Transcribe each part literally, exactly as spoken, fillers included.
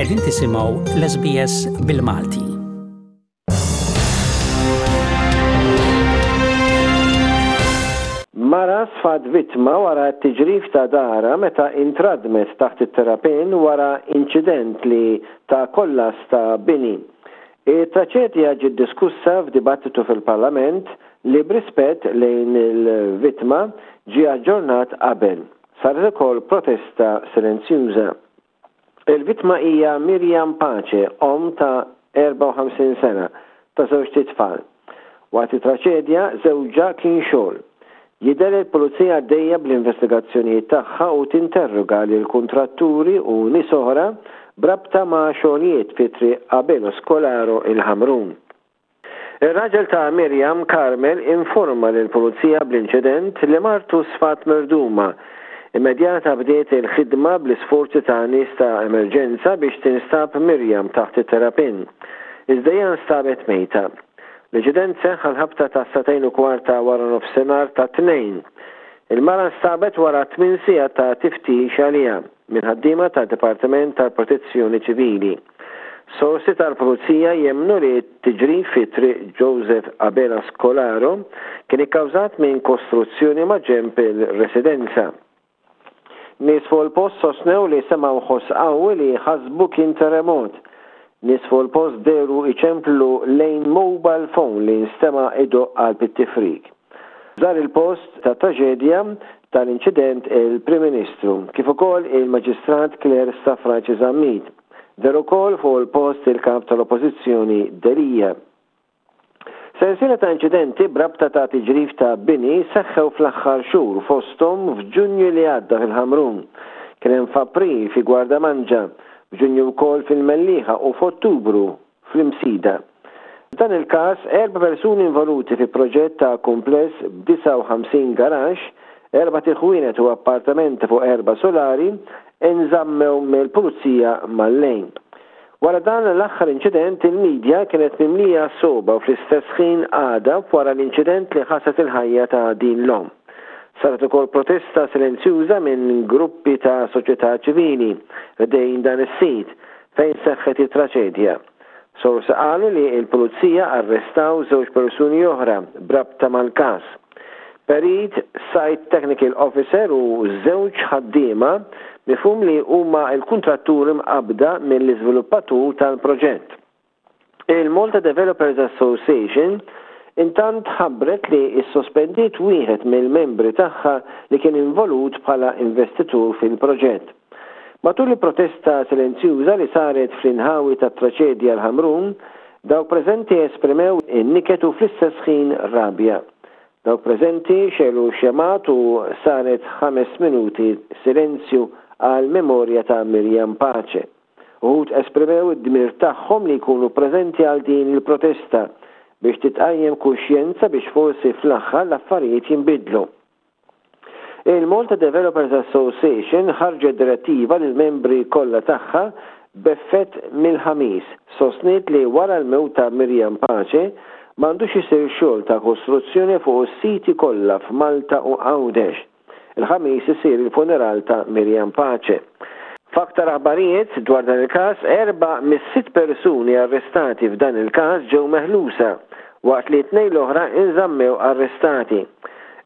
Qegħdin tisimgħu l-S B S bil-Malti. Mara sfat vittma wara t-tiġrif ta' dara meta intradmet taħt it-terrapien wara inċident li ta' kollass ta' bini. Il-traċedja ġiet diskussa f'dibattitu fil-Parlament li b'rispett lejn il-vittma ġie aġġornat qabel. Saret ukoll protesta silenzjuża. Il-vittma hija Mirjam Pace, om ta' erbgħa u ħamsin sena, ta' żewġt itfal. Waqt it-traċedja żewġha kien xogħol. Jidher il-pulizija għaddejja bl-investigazzjonijiet tagħha u tinterroga lil kuntratturi u nies oħra brabta ma' xogħlijiet fi Triq Abelo Scolaro, il-Ħamrun. Ir-raġel ta' Mirjam, Carmel, informa lil pulizija bl-inċident li martu sfat mirduma. Immedjata bdiet il-ħidma bl-isforzi ta' nies ta' emerġenza biex tinstab Mirjam taħt it-terrapien. Iżda hija nstabet mejta. L-inċident seħħ għal-ħabta ta' sagħtejn u kwarta wara nofsinhar tat-Tnejn. Il-mara nstabet wara tmien sigħat ta' tiftix għaliha minn ħaddiema ta' Dipartiment tal-Protezzjoni Ċivili. Sorsi tal-Pulizija jemnu li t-tiġrif fi Triq Joseph Abela Scolaro kien ikkawżat minn kostruzzjoni ma' ġemp il-residenza. Nies fuq il-post sostnew li semgħu ħoss qawwi li ħasbu kien terremot. Nies fuq il-post dehru iċemplu lejn mobile phone li nstema' idoqq għal bit-tifrik. Żar il-post ta' traġedja tal-inċident il-Prim Ministru, kif ukoll il-Maġistrat Claire Stafrace Zammit. Deher ukoll fuq il-post il-kap tal-Oppożizzjoni Delia. Sensiela ta' inċidenti brabta ta' tiġrif ta' bini seħħew fl-aħħar xhur, fosthom f'Ġunju li għadda fil-Ħamrun. Kien hemm f'April fi Gwardamanġa, f'Ġunju wkoll fil-Mellieħa u f'Ottubru fl-Imsida. F'dan il-każ, erba' persuni involuti fi proġett ta' kumpless b'disgħa u ħamsin garaxx, erbat iħwienet u appartamenti fuq erba' solari inżammew mill-pulizija mal-lejl. Wara dan l-aħħar inċident, il-medja kienet mimlija sogħba u fl-istess ħin għadab wara l-inċident li ħasad il-ħajja ta' din l-om. Saret ukoll protesta silenzjuża minn gruppi ta' soċjetà ċivili ħdejn dan is-sit fejn seħħet it-traċedja. Sorsi qalu li l-pulizija arrestaw żewġ persuni oħra brabta mal-każ. Perit, Site Technical Officer u żewġ ħaddiema mifhum li huma l-kuntratturi mqabda mill-iżviluppatur tal-proġett. Il-Malta Developers Association intant ħabbret li issospendiet wieħed mill-membri tagħha li kien involut bħala investitur fil-proġett. Matul il-protesta silenzjuża li saret fl-inħawi ta' traċedja l-Ħamrun, dawk preżenti esprimew in-niket u fl-istess ħin rabja. Dawk preżenti xegħlu xemgħat u saret ħames minuti silenzju għal memorja ta' Mirjam Pace. Uħud esprimew id-dmir tagħhom li jkunu preżenti għal din il-protesta biex titqajjem kuxjenza biex forsi fl-aħħar l-affarijiet jinbidlu. Il-Malta Developers Association ħarġet direttiva lil membri kollha tagħha b'effett mill-Ħamis. Sostniet li wara l-mewt ta' Mirjam Pace m'għandux isir xogħol ta' kostruzzjoni fuq is-siti kollha f'Malta u Għawdex. Il-Ħamis isir il-funeral ta' Mirjam Pace. F'aktar aħbarijiet dwar dan il-każ, erba' mis-sitt persuni arrestati f'dan il-każ ġew meħlusa waqt li tnejn l-oħra inżammew arrestati.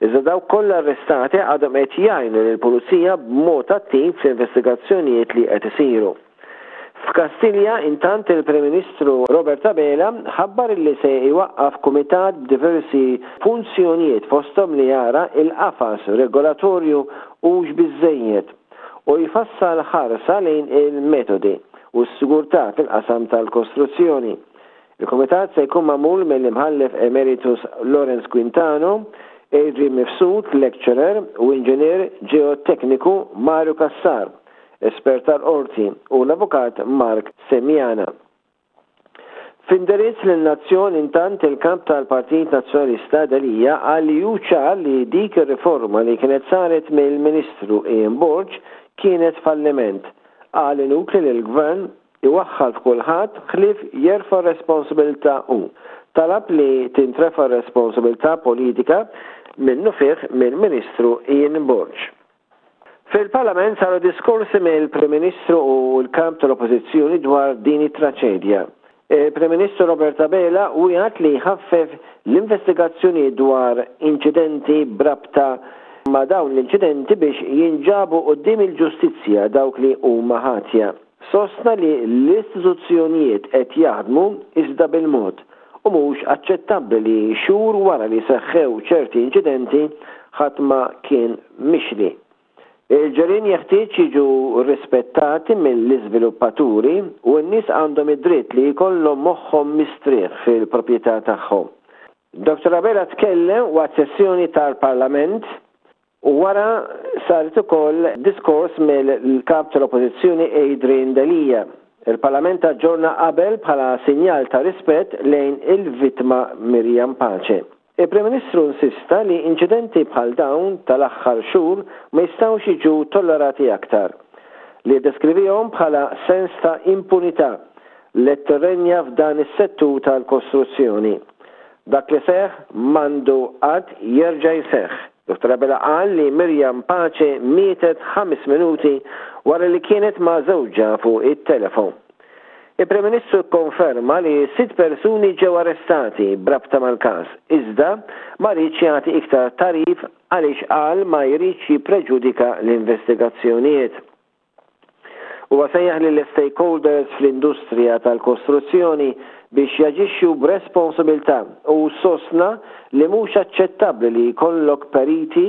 Iżda dawk kollha arrestati għadhom qed jgħinu lill-pulizija b'mod attiv fl-investigazzjonijiet li qed isiru. F'Kastilja, intant, il-Prim Ministru Robert Abela ħabbar li se jwaqqaf kumitat b'diversi funzjonijiet, fosthom li jara il-qafas regolatorju hux biżejjed u jfassal ħarsa lejn il-metodi u s-sigurtà fil-qasam tal-kostruzzjoni. Il-komitat se jkun magħmul mill-imħallef emeritus Lawrence Quintano, Adrian Mifsud, lecturer, u inġinier ġeotekniku Mario Cassar, espert tal-qorti, u l-avukat Mark Semjana. F'indirizz lin-nazzjon, intant, il-kap tal-Partit Nazzjonalista Delia qal li hu ċar li dik ir-riforma li kienet saret mill-Ministru Ian Borg kienet falliment. Qal inutli li l-gvern iwaħħal f'kulħadd ħlief jerfa' responsabilità u talab li tintrefa' responsabilità politika minnufih mill-Ministru Ian Borg. Fil-Parlament saru diskorsi mill-Prim Ministru u l-Kap tal-Oppożizzjoni dwar din it-traċedja. Il-Prim Ministru Robert Abela wiegħed li jħaffef l-investigazzjoni dwar inċidenti b'rabta ma' dawn l-inċidenti biex jinġabu quddiem il-ġustizzja dawk li huma ħatja. Sostna li l-istituzzjonijiet qed jaħdmu iżda bil-mod u mhux aċċettabbli li xhur wara li seħħew ċerti inċidenti ħadd ma kien mixli. Il-ġirien jeħtieġ jiġu rispettati mill-iżviluppaturi u n-nies għandhom id-dritt li jkollhom moħħhom mistrieħ fil-proprjetà tagħhom. Dottor Abela tkellem waqt sessjoni tal-Parlament u wara saret ukoll diskors mill-Kap tal-Oppożizzjoni Adrian Delia. Il-Parlament aġġorna qabel bħala sinjal ta' rispett lejn il-vittma Miriam Pace. Il-Prim Ministru insista li inċidenti bħal dawn tal-aħħar xhur ma jistgħux jiġu tollerati aktar, li ddeskrivihom bħala sens ta' impunità li tirrenja f'dan is-settur tal-kostruzzjoni. Dak li seħħ m'għandu qatt jerġa' jseħħ. Dottor Abela qal li Miriam Pace mietet ħames minuti wara li kienet ma' żewġha fuq it-telefon. Il-Prim Ministru kkonferma li sitt persuni ġew arrestati b'rabta mal-każ, iżda ma riedx jagħti iktar tagħrif għaliex qal ma jridx jippreġudika l-investigazzjonijiet. Huwa sejjaħ lill-stakeholders fl-industrija tal-kostruzzjoni biex jaġixxu b'responsabilità u sostna li mhux aċċettabbli li jkollok periti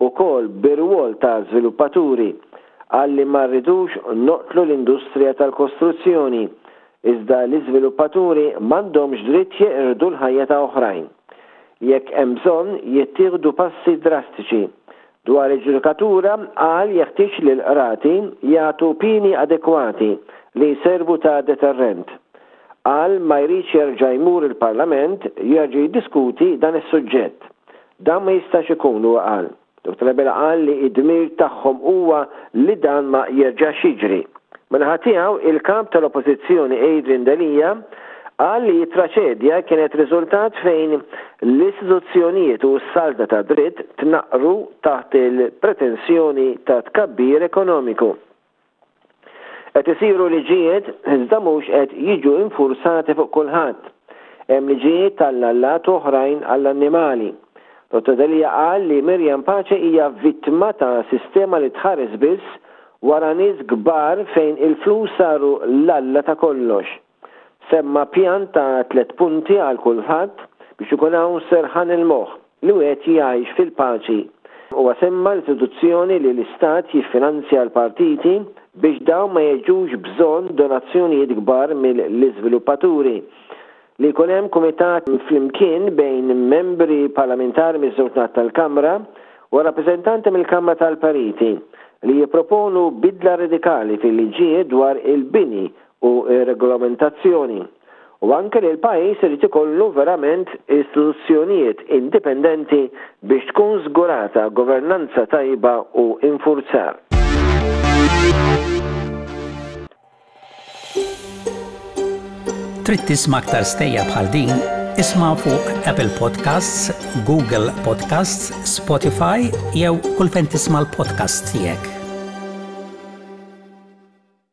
wkoll bir-rwol ta' żviluppaturi. Qal li ma rridux noqtlu l-industrija tal-kostruzzjoni, iżda l-iżviluppaturi m'għandhomx dritt jeqirdu l-ħajja ta' oħrajn. Jekk hemm bżonn jittieħdu passi drastiċi. Dwar il-ġudikatura qal jeħtieġ li l-qrati jagħtu pieni adekwati li jservu ta' deterrent. Qal ma jridx jerġa' jmur il-Parlament jerġa' jiddiskuti dan is-suġġett. Dan ma jistax ikun, huwa qal. Dottor Abela qal li d-dmir tagħhom huwa li dan ma jerġax jiġri. Min-naħa tiegħu, il-Kap tal-Oppożizzjoni Adrian Delia qal li t-traċedja kienet riżultat fejn l-istituzzjonijiet u s-saltna ta' dritt tnaqqru taħt il-pretensjoni ta' tkabbir ekonomiku. Qed isiru liġijiet iżda mhux qed jiġu infurzati fuq kulħadd. Hemm liġijiet tal-allat oħrajn għall-annimali. Dottor Delia qal li Miriam Pace hija vittma ta' sistema li tħares biss wara nies kbar fejn il-flus saru l-alla ta' kollox. Semma pjan ta' tliet punti għal kulħadd biex ikun hawn serħan il-moħħ li wieħed jgħix fil-paċi. Huwa semma l-istituzzjoni li l-Istat jiffinanzja l-partiti biex dawn ma jiġux bżonn donazzjonijiet kbar mill-iżviluppaturi. Li jkun hemm kumitat flimkien bejn membri parlamentari miż-żewġ naħat tal-Kamra u rappreżentanti mill-Kamra tal-Periti li jipproponu bidla radikali fil-liġijiet dwar il-bini u r-regolamentazzjoni u anke li l-pajjiż irid ikollu verament istituzzjonijiet indipendenti biex tkun żgurata governanza tajba u infurzar. Trid tisma' aktar stejjer bħal din? Isma' fuq Apple Podcasts, Google Podcasts, Spotify jew kull fejn tisma' l-podcasts tiegħek.